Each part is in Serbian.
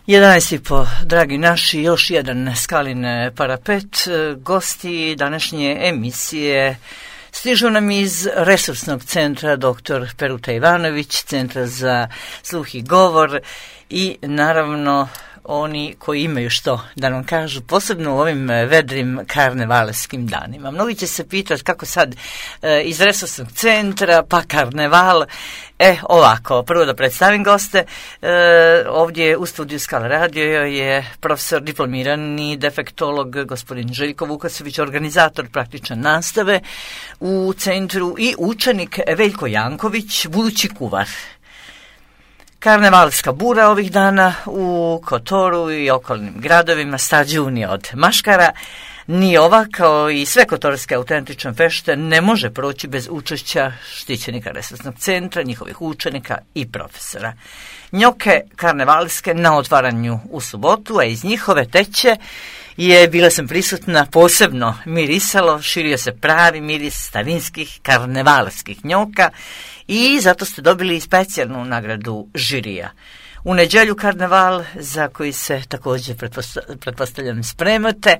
11:30, dragi naši, još jedan Skalin parapet. Gosti današnje emisije stižu nam iz Resursnog centra dr. Peruta Ivanović, Centra za sluh i govor i naravno oni koji imaju što da nam kažu, posebno u ovim vedrim karnevalskim danima. Mnogi će se pitati kako sad iz Resursnog centra pa karneval. Ovako, prvo da predstavim goste. Ovdje u studiju Skala Radio je profesor diplomirani defektolog gospodin Željko Vukasović, organizator praktične nastave u centru i učenik Veljko Janković, budući kuvar. Karnevalska bura ovih dana u Kotoru i okolnim gradovima stađunije od maškara. Ni ova, kao i sve kotorske autentične fešte, ne može proći bez učešća štićenika Resursnog centra, njihovih učenika i profesora. Njoke karnevalske na otvaranju u subotu, a iz njihove teće bila sam prisutna, posebno mirisalo, širio se pravi miris starinskih karnevalskih njoka i zato ste dobili specijalnu nagradu žirija. U nedjelju karneval, za koji se također pretpostavljam spremate.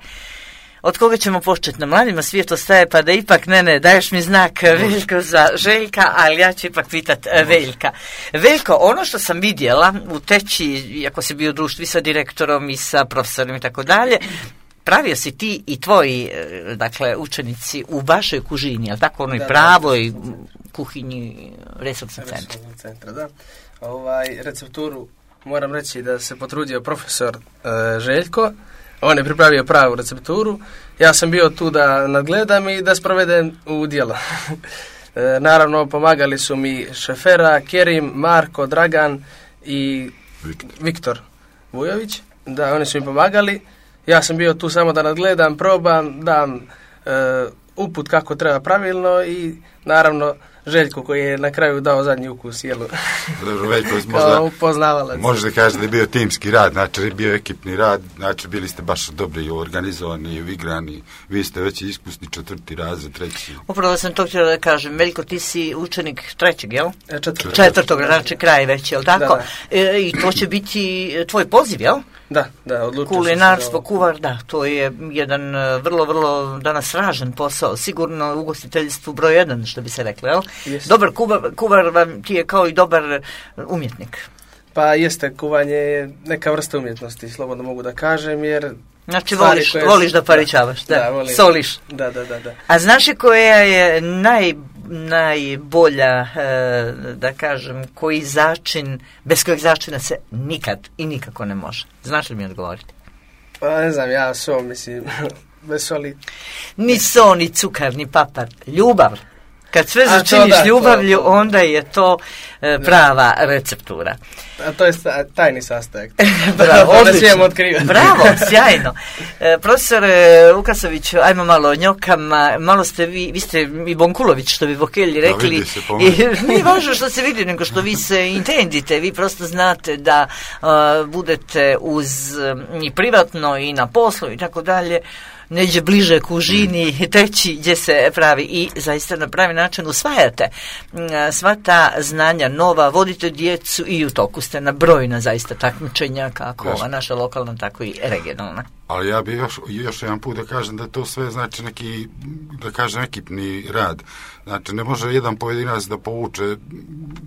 Od koga ćemo početi? Na mladima svijet ostaje, pa da ipak, ne, daješ mi znak Veljko za Željka, ali ja ću ipak pitat Veljka. Veljko, ono što sam vidjela u teći, iako si bio u društvu sa direktorom i sa profesorom i tako dalje, pravio si ti i tvoji, dakle, učenici u vašoj kužini, ali tako, onoj pravoj kuhinji Resursnog centra. Da. Recepturu moram reći da se potrudio profesor Željko. On je pripravio pravu recepturu. Ja sam bio tu da nadgledam i da sprovedem u djelo. Naravno, pomagali su mi Šefera, Kerim, Marko, Dragan i Viktor Vujović. Da, oni su mi pomagali. Ja sam bio tu samo da nadgledam, probam, dam uput kako treba pravilno i naravno Željko koji je na kraju dao zadnji ukus jelu. Dobro, Veljko, kao upoznavalac. Možda kaže da je bio timski rad, znači je bio ekipni rad, znači bili ste baš dobri i organizovani i igrani, vi ste već iskusni 4. razred, 3. Upravo sam to htjela da kažem, Veljko, ti si učenik 3. jel? 4. znači kraj već, jel tako? Da. I to će biti tvoj poziv, jel? Da, odlučio sam. Kulinarstvo, kuvar, da, to je jedan vrlo, vrlo danas ražan posao, sigurno u ugostiteljstvu broj 1, što bi se reklo, jel? Jest. Dobar kuvar vam ti je kao i dobar umjetnik. Pa jeste, kuvanje je neka vrsta umjetnosti, slobodno mogu da kažem, jer... Znači voliš da paričavaš, da volim. Soliš. Da. A znaš li koja je najbolja, da kažem, koji začin, bez kojeg začina se nikad i nikako ne može? Znaš li mi odgovoriti? Pa ne znam, ja mislim, bez soli. Ni so, ni cukar, ni papar, ljubav. Kad sve začiniš ljubavlju, onda je to prava receptura. A to je tajni sastojak. Bravo, odlično. Bravo, sjajno. Profesor Vukasović, ajmo malo o njokama, malo ste vi ste i Bonkulović, što bi Vokelji rekli. I nije važno što se vidi, nego što vi se intendite, vi prosto znate da budete uz i privatno i na poslu i tako dalje, neđe bliže kužini, teći gdje se pravi i zaista na pravi način usvajate sva ta znanja nova, vodite djecu i u toku ste na brojna zaista takmičenja kako ova naša lokalna, tako i regionalna. Ali ja bih još jedan put da kažem da to sve znači neki, da kažem, ekipni rad. Znači ne može jedan pojedinac da povuče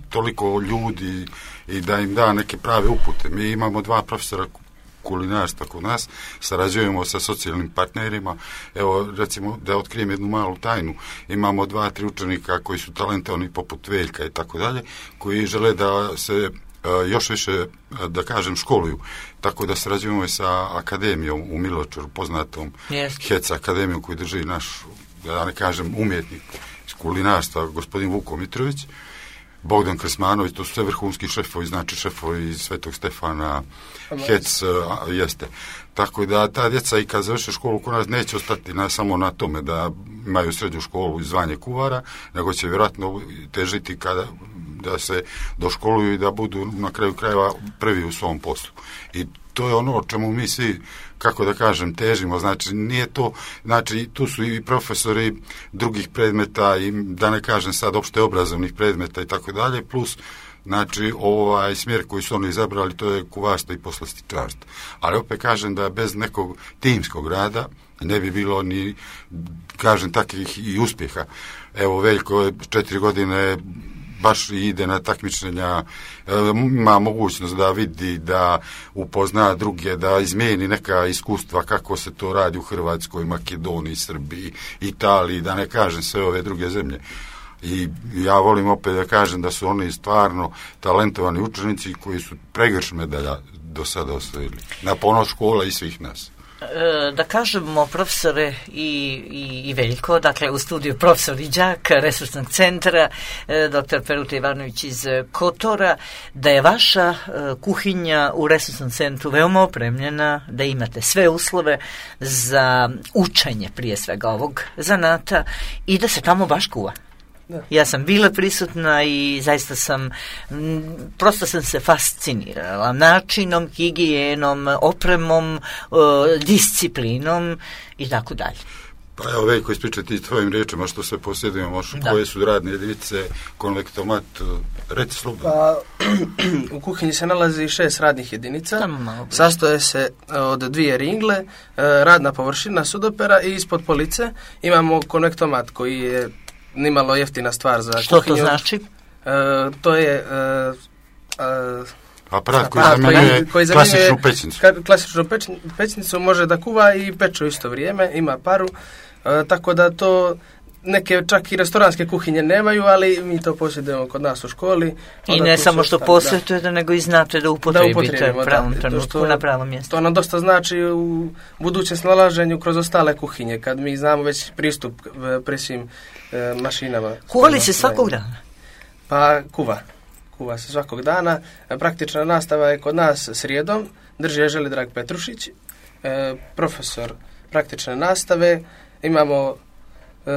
toliko ljudi i da im da neke prave upute. Mi imamo 2 profesora kulinarstva kod nas, sarađujemo sa socijalnim partnerima. Evo, recimo, da otkrijem jednu malu tajnu, imamo 2-3 učenika koji su talentovani poput Veljka i tako dalje, koji žele da se još više, da kažem, školuju. Tako da sarađujemo i sa akademijom u Miločaru, poznatom HEC akademijom koju drži naš, da ne kažem, umjetnik iz kulinarstva, gospodin Vuko Mitrović, Bogdan Krsmanović, to su sve vrhunski šefovi, znači šefovi iz Svetog Stefana, HEC, jeste. Tako da ta djeca i kad završe školu kod nas neće ostati samo na tome da imaju srednju školu i zvanje kuvara, nego će vjerojatno težiti da se doškoluju i da budu na kraju krajeva prvi u svom poslu. I to je ono o čemu mi svi, kako da kažem, težimo. Znači, nije to, znači, tu su i profesori drugih predmeta i da ne kažem sad opšte obrazovnih predmeta i tako dalje, plus znači smjer koji su oni izabrali, to je kuvarstvo i poslastičarstvo. Ali opet kažem da bez nekog timskog rada ne bi bilo ni, kažem, takvih i uspjeha. Evo, Veljko 4 godine baš ide na takmičenja, ima mogućnost da vidi, da upozna druge, da izmijeni neka iskustva kako se to radi u Hrvatskoj, Makedoniji, Srbiji, Italiji, da ne kažem sve ove druge zemlje. I ja volim opet da kažem da su oni stvarno talentovani učenici koji su pregrš medalja do sada osvojili. Na ponos škola i svih nas. Da kažemo, profesore i Veljko, dakle u studiju profesor i đak Resursnog centra, dr. Peruta Ivanović iz Kotora, da je vaša kuhinja u Resursnom centru veoma opremljena, da imate sve uslove za učenje prije svega ovog zanata i da se tamo baš kuva. Da. Ja sam bila prisutna i zaista prosto sam se fascinirala načinom, higijenom, opremom, disciplinom i tako dalje. Pa evo, Veljko, ispričati s tvojim riječima što sve posjedujemo, koje su radne jedinice, konvektomat, reci slobodno. Pa, u kuhinji se nalazi 6 radnih jedinica, sastoje se od 2 ringle, radna površina sudopera i ispod police imamo konvektomat koji je nimalo jeftina stvar za što kuhinju. To znači? To je aparat koji klasičnu pećnicu. Klasičnu pećnicu može da kuva i peče u isto vrijeme, ima paru, tako da to neke čak i restoranske kuhinje nemaju, ali mi to posjedujemo kod nas u školi. I ne samo što posjetujete, nego i znate da upotrebite u pravom trenutku na pravom mjestu. To nam dosta znači u budućem snalaženju kroz ostale kuhinje, kad mi znamo već pristup pri svim mašinama. Kuvali se svakog dana? Pa kuva se svakog dana. Praktična nastava je kod nas srijedom, drži je Želidrag Petrušić, profesor praktične nastave, imamo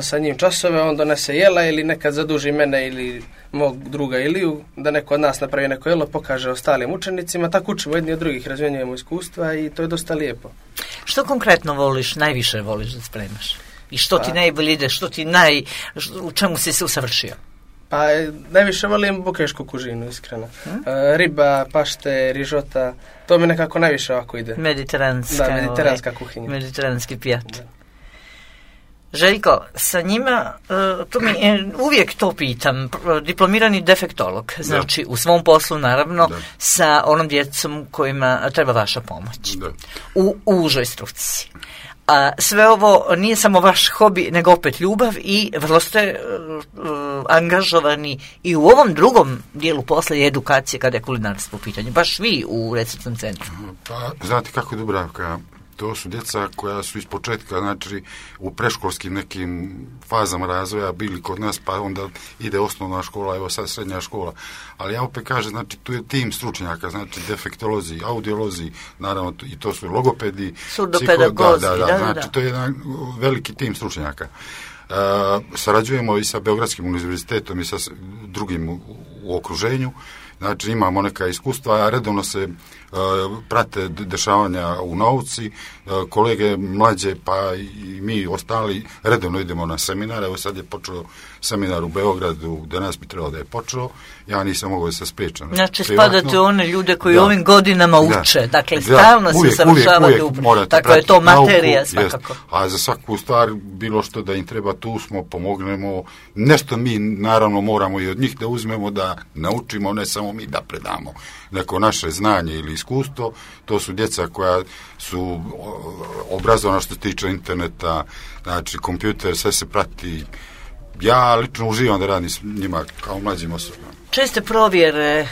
sa njim časove, on donese jela ili nekad zaduži mene ili mog druga Iliju, da neko od nas napravi neko jelo, pokaže ostalim učenicima, tako učimo jedni od drugih, razmjenjujemo iskustva i to je dosta lijepo. Što konkretno najviše voliš da spremaš? I što ti najbolje ide, u čemu si se usavršio? Pa najviše volim bukešku kužinu, iskreno. Riba, pašte, rižota, to mi nekako najviše ovako ide. Mediteranska kuhinja. Mediteranski pijat. Da. Željko, sa njima, uvijek to pitam, diplomirani defektolog, znači u svom poslu naravno, sa onom djecom kojima treba vaša pomoć, u užoj struci. A sve ovo nije samo vaš hobi, nego opet ljubav i vrlo ste angažovani i u ovom drugom dijelu posla i edukacije kada je kulinarstvo u pitanju, baš vi u Resursnom centru. Pa, znate kako je Dubravka, to su djeca koja su iz početka, znači u preškolskim nekim fazama razvoja bili kod nas, pa onda ide osnovna škola, evo sad srednja škola. Ali ja opet kažem, znači tu je tim stručnjaka, znači defektolozi, audiolozi, naravno i to su logopedi, surdopedagozi, znači to je jedan veliki tim stručnjaka. Sarađujemo i sa Beogradskim univerzitetom i sa drugim u okruženju. Znači imamo neka iskustva, a redovno se prate dešavanja u nauci, kolege mlađe pa i mi ostali redovno idemo na seminar. Evo sad je počeo seminar u Beogradu, danas bi trebalo da je počeo, ja nisam mogao da se spriječam. Znači spadate one ljude koji ovim godinama uče, dakle stalno se usavršavate upravo, tako je to materija nauku, svakako. A za svaku stvar, bilo što da im treba, tu smo, pomognemo, nešto mi naravno moramo i od njih da uzmemo, da naučimo, ne samo mi da predamo neko naše znanje ili iskustvo. To su djeca koja su obrazovana što se tiče interneta, znači kompjuter, sve se prati. Ja lično uživam da radim s njima kao mlađim osobama. Česte provjere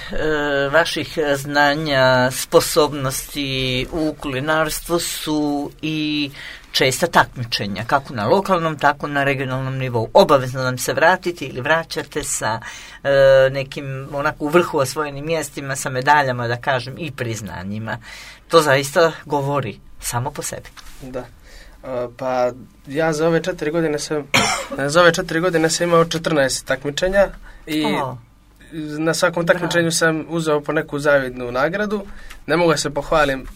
vaših znanja, sposobnosti u kulinarstvu su i česta takmičenja, kako na lokalnom, tako na regionalnom nivou. Obavezno nam se vratiti ili vraćate sa nekim onako u vrhu osvojenim mjestima, sa medaljama, da kažem, i priznanjima. To zaista govori samo po sebi. Da. Pa ja za ove 4 godine sam imao 14 takmičenja i na svakom takmičenju sam uzeo po neku zavidnu nagradu. Ne mogu se pohvalim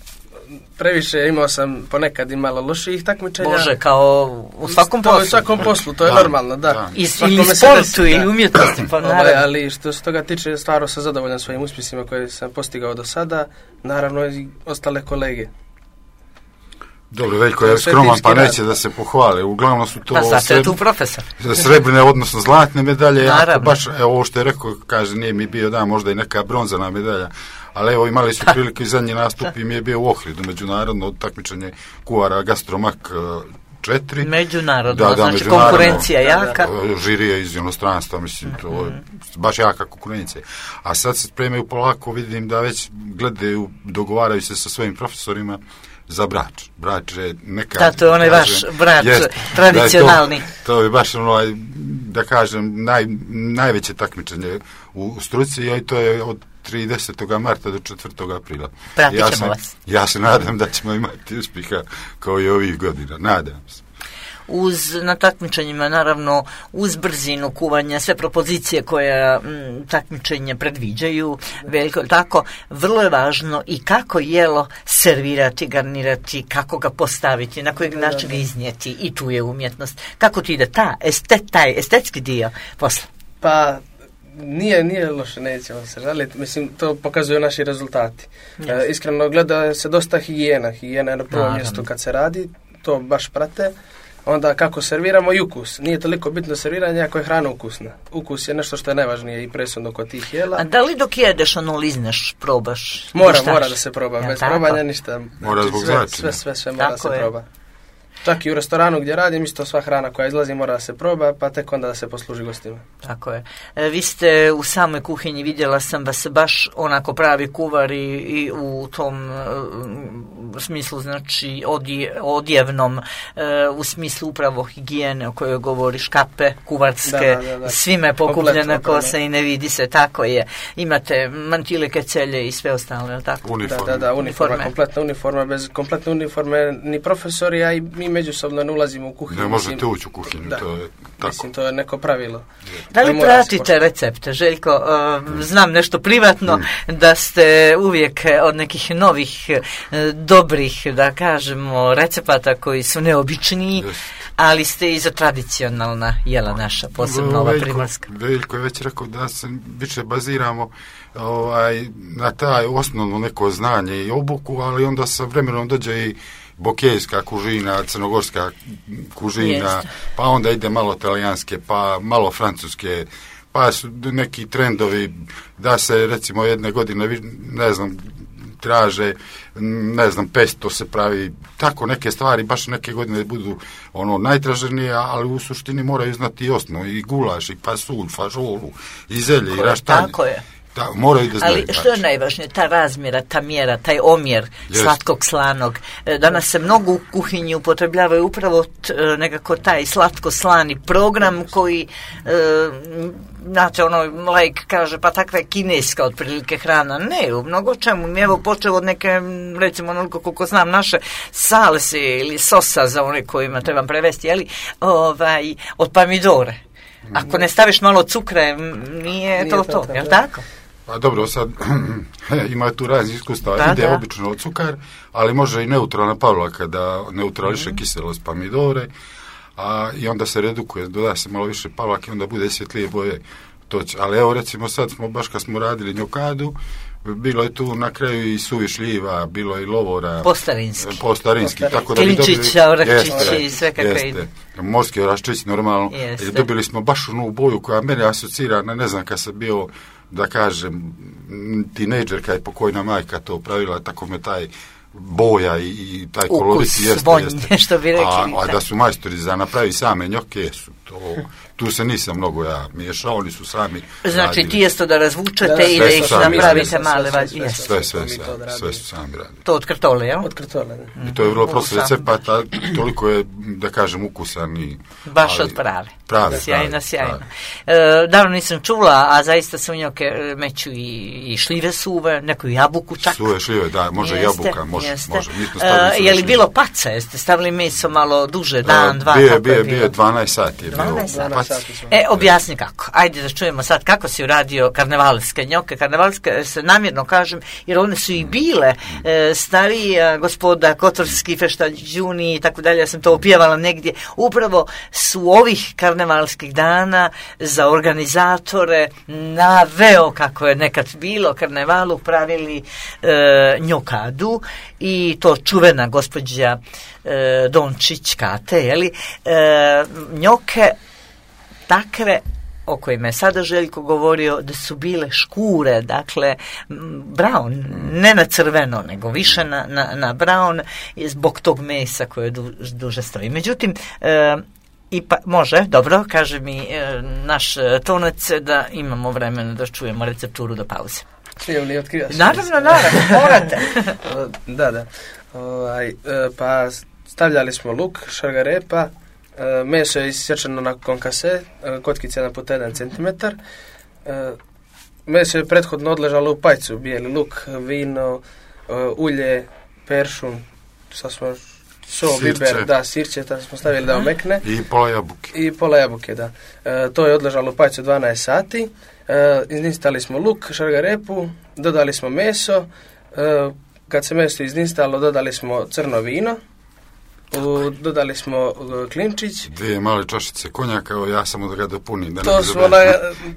previše, imao sam ponekad i malo loših takmičenja. Bože, kao u svakom poslu. U svakom poslu, to je normalno, da. Ili sportu, ili umjetnosti, pa naravno. Ali što se toga tiče, stvarno sam zadovoljan svojim uspjesima koje sam postigao do sada, naravno i ostale kolege. Dobro, Veljko je skroman pa neće da se pohvale. Uglavnom su to zato je tu profesor. Srebrne, odnosno zlatne medalje. Ako baš, ovo što je rekao, kaže, nije mi bio možda i neka bronzana medalja. Ali evo, imali su prilike i zadnji nastup i mi je bio u Ohridu, međunarodno takmičenje kuvara Gastromak 4. Međunarodno, znači konkurencija jaka. Žirija iz inostranstva, mislim, to je baš jaka konkurencija. A sad se spremaju polako, vidim da već gledaju, dogovaraju se sa svojim profesorima za Brač. Brač je neka... Da, to je onaj vaš Brač, tradicionalni. To je baš da kažem, najveće takmičenje u struci, i to je od 30. marta do 4. aprila. Pratit ćemo vas. Ja se nadam da ćemo imati uspjeha kao i ovih godina. Nadam se. Na takmičenjima, naravno, uz brzinu kuvanja, sve propozicije koje takmičenje predviđaju, veliko tako, vrlo je važno i kako jelo servirati, garnirati, kako ga postaviti, na kojeg način ga iznijeti, i tu je umjetnost. Kako ti ide taj estetski dio posla? Pa, nije loše, nećemo se žaliti. Mislim, to pokazuju naši rezultati. Iskreno, gleda se dosta higijena. Higijena je na prvom mjestu kad se radi, to baš prate. Onda kako serviramo i ukus. Nije toliko bitno serviranje ako je hrana ukusna. Ukus je nešto što je najvažnije i presudno kod tih jela. A da li dok jedeš, lizneš, probaš? Mora da se proba. Bez probanja ništa. Mora zbog začina. Sve mora da se proba. Čak i u restoranu gdje radim, isto sva hrana koja izlazi mora da se proba, pa tek onda da se posluži gostima. Tako je. Vi ste u samoj kuhinji, vidjela sam da se baš onako pravi kuvari i u tom smislu, znači odjevnom, u smislu upravo higijene o kojoj govori, škape, kuvarske, da. Svime je pokupljena kosa i ne vidi se, tako je. Imate mantile, kecelje i sve ostale, tako? Uniforme. Da, uniforma, kompletna uniforma, bez kompletne uniforme ni profesori, a i mi međusobno ne ulazimo u kuhinju. Ne možete ući u kuhinju, to je tako. Mislim, to je neko pravilo. Da li pratite recepte, Željko? Znam nešto privatno, da ste uvijek od nekih novih, dobrih, da kažemo, recepata koji su neobičniji, ali ste i za tradicionalna jela naša, posebno ova primorska. Veljko je već rekao da se više baziramo na taj osnovno neko znanje i obuku, ali onda sa vremenom dođe i bokejska kužina, crnogorska kužina, pa onda ide malo talijanske, pa malo francuske, pa su neki trendovi da se recimo jedne godine, ne znam, traže, ne znam, pesto se pravi, tako neke stvari, baš neke godine budu najtraženije, ali u suštini moraju znati i osnovu, i gulaš, i pasulj, fažolu, i zelje, i raštanje. Tako je. Da, moraju da znaju. Ali što je najvažnije, ta razmjera, ta mjera, taj omjer slatkog, slanog. Danas se mnogo u kuhinji upotrebljavaju upravo nekako taj slatko-slani program koji, znate, laik kaže, pa takva je kineska otprilike hrana. Ne, u mnogo čemu. Evo, počeo od neke, recimo, onoliko koliko znam, naše salse ili sosa za one kojima trebam prevesti, od pomidore. Ako ne staviš malo cukra, nije to, jel tako? Pa dobro, sad ima tu raznih iskustava, ide obično od cukar, ali može i neutralna pavlaka da neutrališe kiselost pomidore, i onda se redukuje, doda se malo više pavlake, onda bude svjetlije boje. Ali evo, recimo, sad smo, baš kad smo radili njokadu, bilo je tu na kraju i suvi šljiva, bilo je i lovora. Postarinski. Tako da bi dobili... Klinčića, oračići i sve kakve ide. Morski oračić, normalno. Dobili smo baš onu boju koja mene asocira na, ne znam, kad sam bio, da kažem, tinejdžer, kad je pokojna majka to pravila, tako me taj boja i taj kolorit jeste. Što bi rekli. A da su majstori za napravi same njoke, tu se nisam mnogo miješao, oni su sami znači radili. tijesto da razvučete i da ih napravite male vađe. Sve su sami radili. To od krtole, jel? Od krtole. I to je vrlo prosto recepata, toliko je, da kažem, ukusan i... Baš od prave. Sjajno. Davno nisam čula, a zaista se u njoke meću i šljive suve, neku jabuku čak. Suve šljive, da, može jabuka, može. Je li bilo paca? Jeste stavili meso malo duže, dan, dva? Bio 12 sati. Objasni kako. Ajde da čujemo sad kako si uradio karnevalske njoke. Karnevalske se namjerno kažem, jer one su i bile starija gospoda, kotorski feštađuni i tako dalje. Ja sam to opjevala negdje. Upravo su ovih karnevalskih dana za organizatore naveo kako je nekad bilo karnevalu pravili njokadu i to čuvena gospođa Dončić Kate, jeli, njoke takve o kojima je sada Željko govorio da su bile škure, dakle brown, ne na crveno, nego više na brown zbog tog mesa koje duže stoji. Međutim, može, dobro, kaže mi naš tonac da imamo vremena da čujemo recepturu do pauze. Smijem li otkrivati? Naravno, morate. Da. Pa stavljali smo luk, šargarepa, meso je isječeno na konkase, kotkice 1x1 cm. Meso je prethodno odležalo u pajcu, bijeli luk, vino, ulje, peršun, biber, sirće, tako smo stavili da omekne. I pola jabuke. Da. To je odležalo u pajcu 12 sati. Iznistali smo luk, šargarepu, dodali smo meso. Kad se meso iznistalo, dodali smo crno vino. Dodali smo klinčić. 2 male čašice konjaka, ja samo da ga dopunim.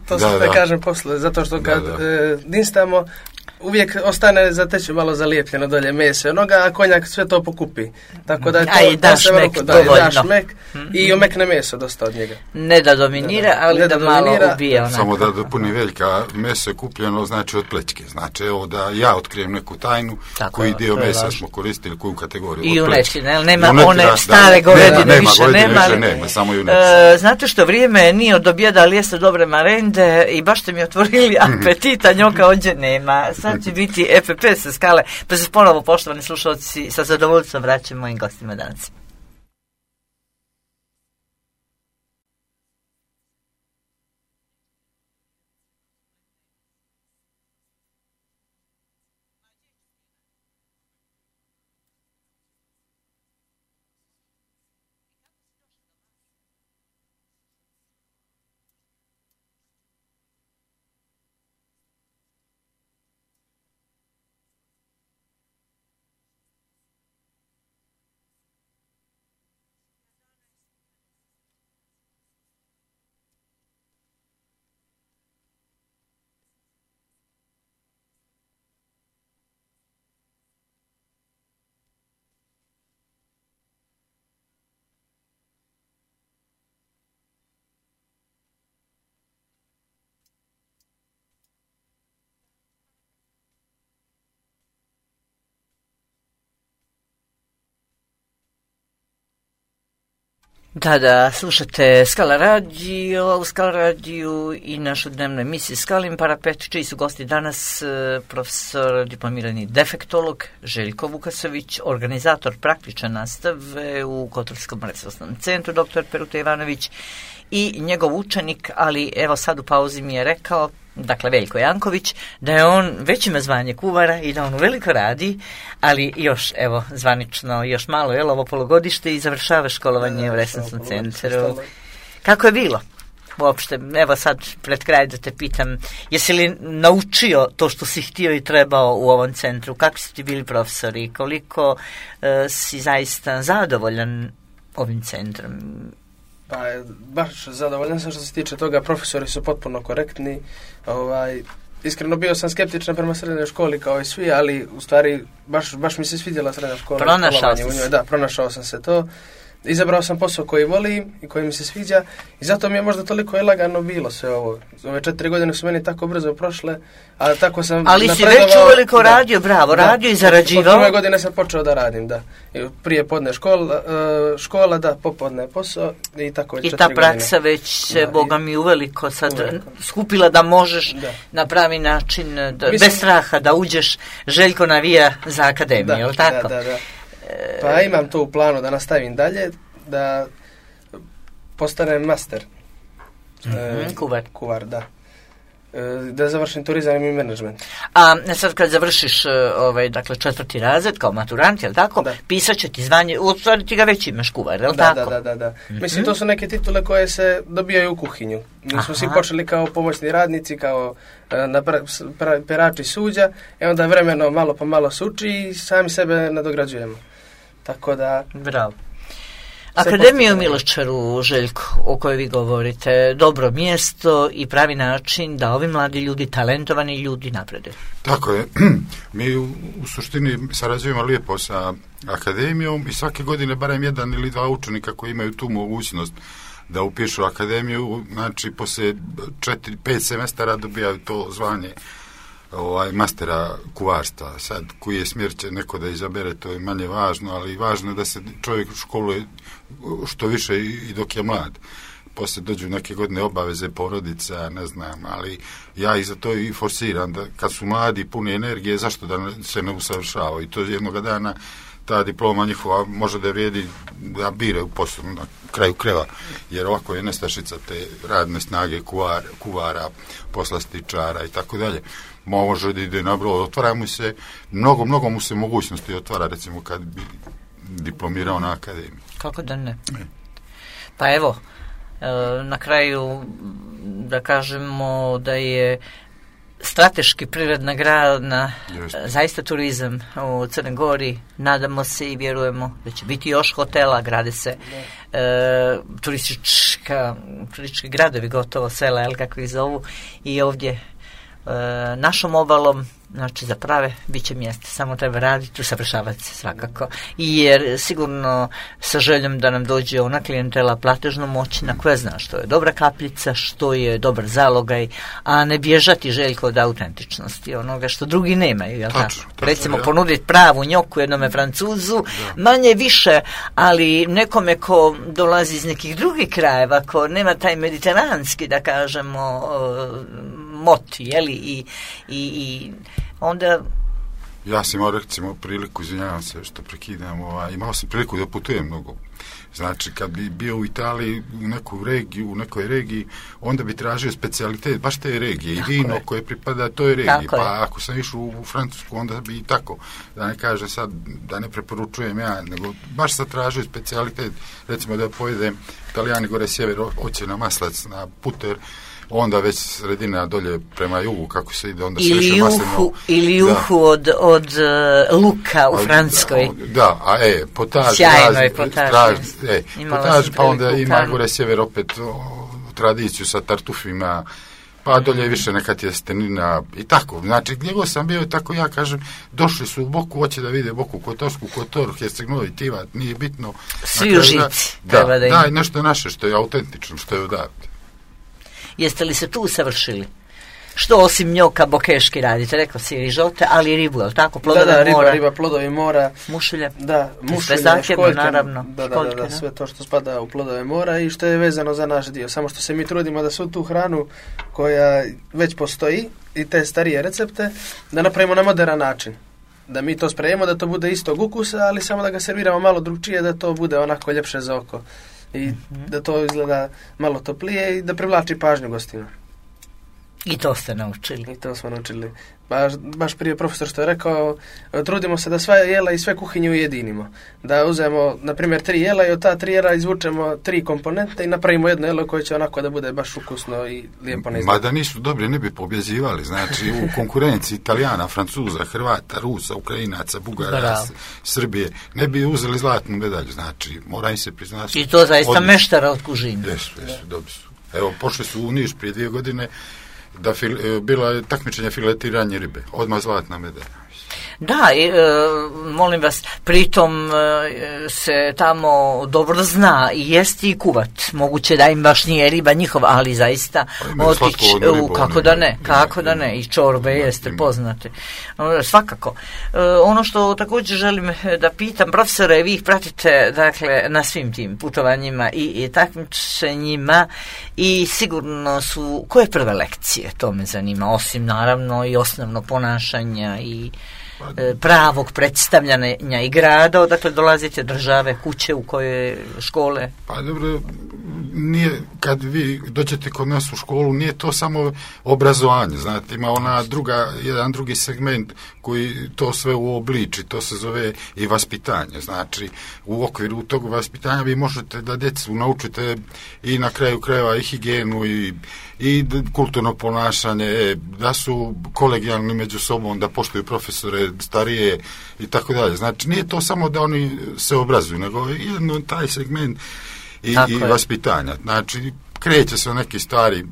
To da kažem posle, zato što kad dinstamo, uvijek ostane zateći malo zalijepljeno dolje meso onoga, a konjak sve to pokupi. Tako da da šmek i omekne meso dosta od njega. Ne da dominira, ali da malo ubije onako. Samo da dopuni Veljka, meso je kupljeno znači od plećke. Znači evo da ja otkrijem neku tajnu, koji dio mesa smo koristili, koju kategoriju. I junečine, nema one stare govedine, više nema. Samo junečine. Znate što vrijeme nije od objeda, ali jeste dobre marende i baš ste mi otvorili apetita, njoka ovdje nema. Sad će biti EPP sa Skale, pa se ponovo, poštovani slušalci, sa zadovoljstvom vraćamo mojim gostima danas. Da, slušate Skala radio, u Skala radiju i našu dnevnu emisiju Skalim Parapet, čiji su gosti danas profesor diplomirani defektolog Željko Vukasović, organizator praktične nastave u Kotorskom resursnom centru dr. Peruta Ivanović i njegov učenik, ali evo sad u pauzi mi je rekao, dakle Veljko Janković, da je on već ima zvanje kuvara i da on veliko radi, ali još, evo, zvanično, još malo, je ovo polugodište i završava školovanje u resursnom centru. Kako je bilo? Uopšte, evo sad pred kraj da te pitam, jesi li naučio to što si htio i trebao u ovom centru? Kakvi su ti bili profesori? Koliko si zaista zadovoljan ovim centrom? Pa, baš zadovoljan sam što se tiče toga, profesori su potpuno korektni, iskreno bio sam skeptičan prema srednjoj školi kao i svi, ali u stvari baš mi se svidjela srednja škola. Pronašao sam se to. Izabrao sam posao koji volim i koji mi se sviđa i zato mi je možda toliko lagano bilo sve ovo. Ove 4 godine su meni tako brzo prošle, a tako sam ali si već uveliko radio, bravo, radio i zarađivao. Od 1. godine sam počeo da radim, da. Prije podne škola, da, popodne posao i tako. I ta praksa već se, Boga mi, uveliko sad skupila da možeš na pravi način, bez straha da uđeš. Željko navija za akademiju, je li tako? Da. Pa imam to u planu da nastavim dalje, da postanem master. Kuvar. Kuvar, da. da završim turizam i menadžment. A sad kad završiš dakle 4. razred kao maturant, je li tako? Da. Pisat će ti zvanje, u stvari ti ga već imaš kuvar, je li tako? Da. Mislim, to su neke titule koje se dobijaju u kuhinju. Mi smo svi počeli kao pomoćni radnici, kao perači suđa, onda vremeno malo po malo se uči i sami sebe nadograđujemo. Tako da... Bravo. Akademija u Miloščaru, Željko, o kojoj vi govorite, dobro mjesto i pravi način da ovi mladi ljudi, talentovani ljudi naprede. Tako je. Mi u suštini sarađujemo lijepo sa akademijom i svake godine barem 1 ili 2 učenika koji imaju tu mogućnost da upišu akademiju, znači poslije 4-5 semestara dobijaju to zvanje mastera kuvarstva. Sad, koji je smjer će neko da izabere, to je manje važno, ali važno je da se čovjek školuje što više i dok je mlad. Poslije dođu neke godine obaveze porodica, ne znam, ali ja i za to i forsiram da kad su mladi puni energije, zašto da se ne usavršavaju? I to jednoga dana ta diploma njihova može da vrijedi da bire u poslu na kraju kreva, jer ovako je nestašica te radne snage kuvara, poslastičara i tako dalje. Može da ide na broj, otvara mu se, mnogo mu se mogućnosti otvara, recimo kad bi diplomirao na akademiji. Kako da ne? Pa evo, na kraju da kažemo da je strateški privredna grana, zaista turizam u Crnoj Gori, nadamo se i vjerujemo da će biti još hotela, grade se turistički gradovi, gotovo sela, jel kako ih zovu, i ovdje našom obalom, znači za prave bit će mjesta, samo treba raditi, usavršavati se svakako, jer sigurno sa željom da nam dođe ona klijentela platežno moćna koja zna što je dobra kapljica, što je dobar zalogaj, a ne bježati, Željko, od autentičnosti onoga što drugi nemaju, jel tako? Recimo ponuditi pravu njoku jednome Francuzu, manje više, ali nekome ko dolazi iz nekih drugih krajeva, ko nema taj mediteranski, da kažemo, moti, jeli, i onda... Ja sam imao, recimo, priliku, izvinjavam se što prekidam, imao sam priliku da putujem mnogo. Znači, kad bi bio u Italiji u nekoj regiji, onda bi tražio specijalitet baš te regije i vino koje pripada toj regiji. Pa ako sam išao u Francusku, onda bi i tako, da ne kažem sad, da ne preporučujem ja, nego baš sad tražio specijalitet, recimo da pojedem Italijani gore sjever, hoće na maslac, na puter, onda već sredina dolje prema jugu, kako se ide, onda se više maslino... Ili juhu od luka u Francuskoj. Da, potaž. Sjajno je potaž. Potaž, pa onda ima gore sjever opet tradiciju sa tartufima, pa dolje više neka tjestenina i tako. Znači, gdje god sam bio, tako ja kažem, došli su u Boku, hoće da vide Boku Kotorsku, Kotor, Herceg-Novi, Tivat, nije bitno. Svi u žici. Da, i nešto naše što je autentično, što je odavde. Jeste li se tu usavršili? Što osim njoka bokeški radite? Rekao si rižote, ali i ribu, je li tako? Plodove mora. Riba, plodovi mora. Mušulje. Da, mušulje, školjke, naravno. Da, sve to što spada u plodove mora i što je vezano za naš dio. Samo što se mi trudimo da svu tu hranu koja već postoji i te starije recepte, da napravimo na moderan način. Da mi to sprejemo, da to bude istog ukusa, ali samo da ga serviramo malo drugčije, da to bude onako ljepše za oko. I da to izgleda malo toplije i da privlači pažnju gostima. I to ste naučili. I to smo naučili. Baš prije profesor što je rekao, trudimo se da sva jela i sve kuhinje ujedinimo. Da uzmemo, na primjer, 3 jela i od ta 3 jela izvučemo 3 komponente i napravimo jedno jelo koje će onako da bude baš ukusno i lijepo na izgled. Mada nisu dobri, ne bi pobjezivali. Znači, u konkurenciji Italijana, Francuza, Hrvata, Rusa, Ukrajinaca, Bugara, Srbije, ne bi uzeli zlatnu medalju. Znači, mora im se priznati. I to zaista meštara od kužine. Jesu, dobri su. Evo, pošli su u Niš prije 2 godine, da bilo je takmičenje filetiranje ribe, odmah zlatna medalja. Da, molim vas, pritom se tamo dobro zna i jesti i kuvat. Moguće da im baš nije riba njihova, ali zaista otići, kako da ne, i čorbe jeste poznate. Svakako. Ono što također želim da pitam, profesore, vi ih pratite, dakle, na svim tim putovanjima i takmičenjima i sigurno su, koje prve lekcije, to me zanima, osim naravno i osnovno ponašanja i pravog predstavljanja i grada, odakle dolazite, države, kuće u koje škole? Pa dobro, nije, kad vi dođete kod nas u školu, nije to samo obrazovanje, znate, ima jedan drugi segment koji to sve uobliči, to se zove i vaspitanje, znači u okviru tog vaspitanja vi možete da djecu naučite i na kraju krajeva i higijenu i kulturno ponašanje, da su kolegijalni među sobom, da poštuju profesore starije i tako dalje. Znači nije to samo da oni se obrazuju, nego jedno taj segment i vaspitanja. Znači kreće se neki stari,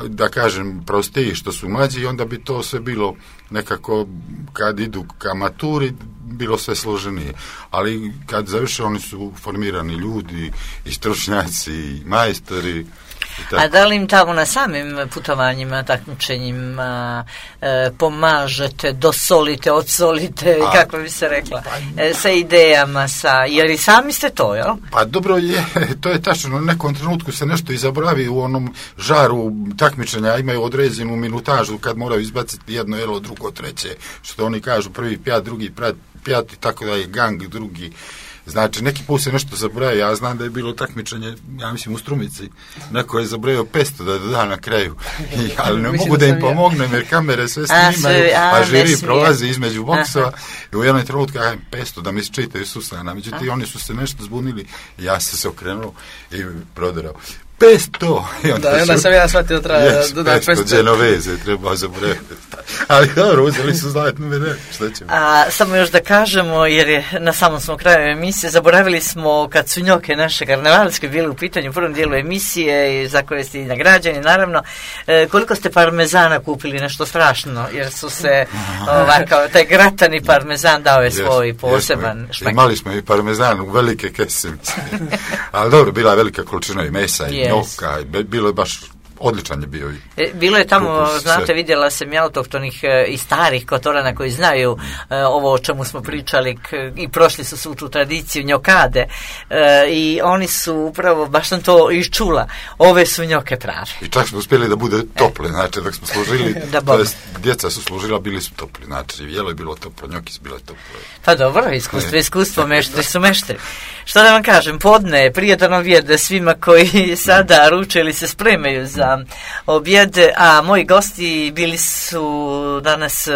da kažem, prostiji što su mlađi i onda bi to sve bilo nekako, kad idu ka maturi, bilo sve složenije. Ali kad završe, oni su formirani ljudi i stručnjaci i majstori. A da li im tamo na samim putovanjima, takmičenjima pomažete, dosolite, odsolite, kako bi se rekla, sa idejama, jer i sami ste to, jel? Pa dobro je, to je tačno, u nekom trenutku se nešto i zaboravi u onom žaru takmičenja, imaju određenu minutažu kad moraju izbaciti jedno jelo, drugo, treće, što oni kažu, prvi pjat, drugi pjat, tako da je gang drugi. Znači, neki put se nešto zaboravio, ja znam da je bilo takmičenje, ja mislim u Strumici, neko je zaboravio 500 da da na kraju, ali ne mogu da im pomognem jer kamere sve snimaju, a žiri prolazi između boksova i u jednom trenutku 500 da mi se čitaju susana, međutim oni su se nešto zbunili i ja se okrenuo i proderao. 500! Onda sam ja shvatio treba da 500 Genoveze treba zaboraviti. Ali dobro, uzeli su zlatnu medalju. Šta ćemo? Samo još da kažemo, jer je na samom smo kraju emisije, zaboravili smo kad su njoke naše karnevalske bile u pitanju u prvom dijelu emisije za koje ste i nagrađeni, naravno, koliko ste parmezana kupili, nešto strašno, jer su se ovako, taj gratani parmezan dao je svoj poseban šmek. Imali smo i parmezan u velike kese. Ali dobro, bila je velika količina i mesa i njoka, bilo je baš odličan je bio. Bilo je tamo, znate, vidjela sam i autohtonih i starih kotorana koji znaju ovo o čemu smo pričali i prošli su svu tu tradiciju njokade i oni su upravo, baš sam to iščula, ove su njoke prave. I čak smo uspjeli da bude tople, znači dok smo služili, to jest djeca su služila, bili su topli, znači jelo je bilo toplo, njoki su bile tople. Pa dobro, iskustvo, meštri su meštri. Što da vam kažem, podne, prijetan objed svima koji sada ruče ili se spremaju za objed, a moji gosti bili su danas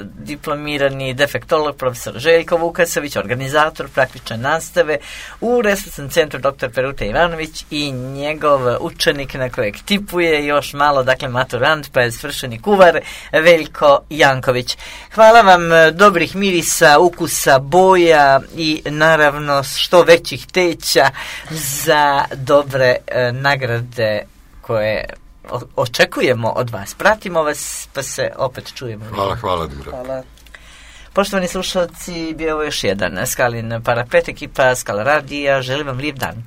diplomirani defektolog profesor Željko Vukasović, organizator praktične nastave u Resursnom centru dr. Peruta Ivanović i njegov učenik na kojeg tipuje još malo, dakle maturant, pa je svršeni kuvar Veljko Janković. Hvala vam, dobrih mirisa, ukusa, boja i naravno što većih teća za dobre nagrade koje očekujemo od vas. Pratimo vas, pa se opet čujemo. Hvala, Dura. Hvala. Poštovani slušalci, bio ovo još jedan Skalin Parapet, ekipa Skala radija. Želim vam lijep dan.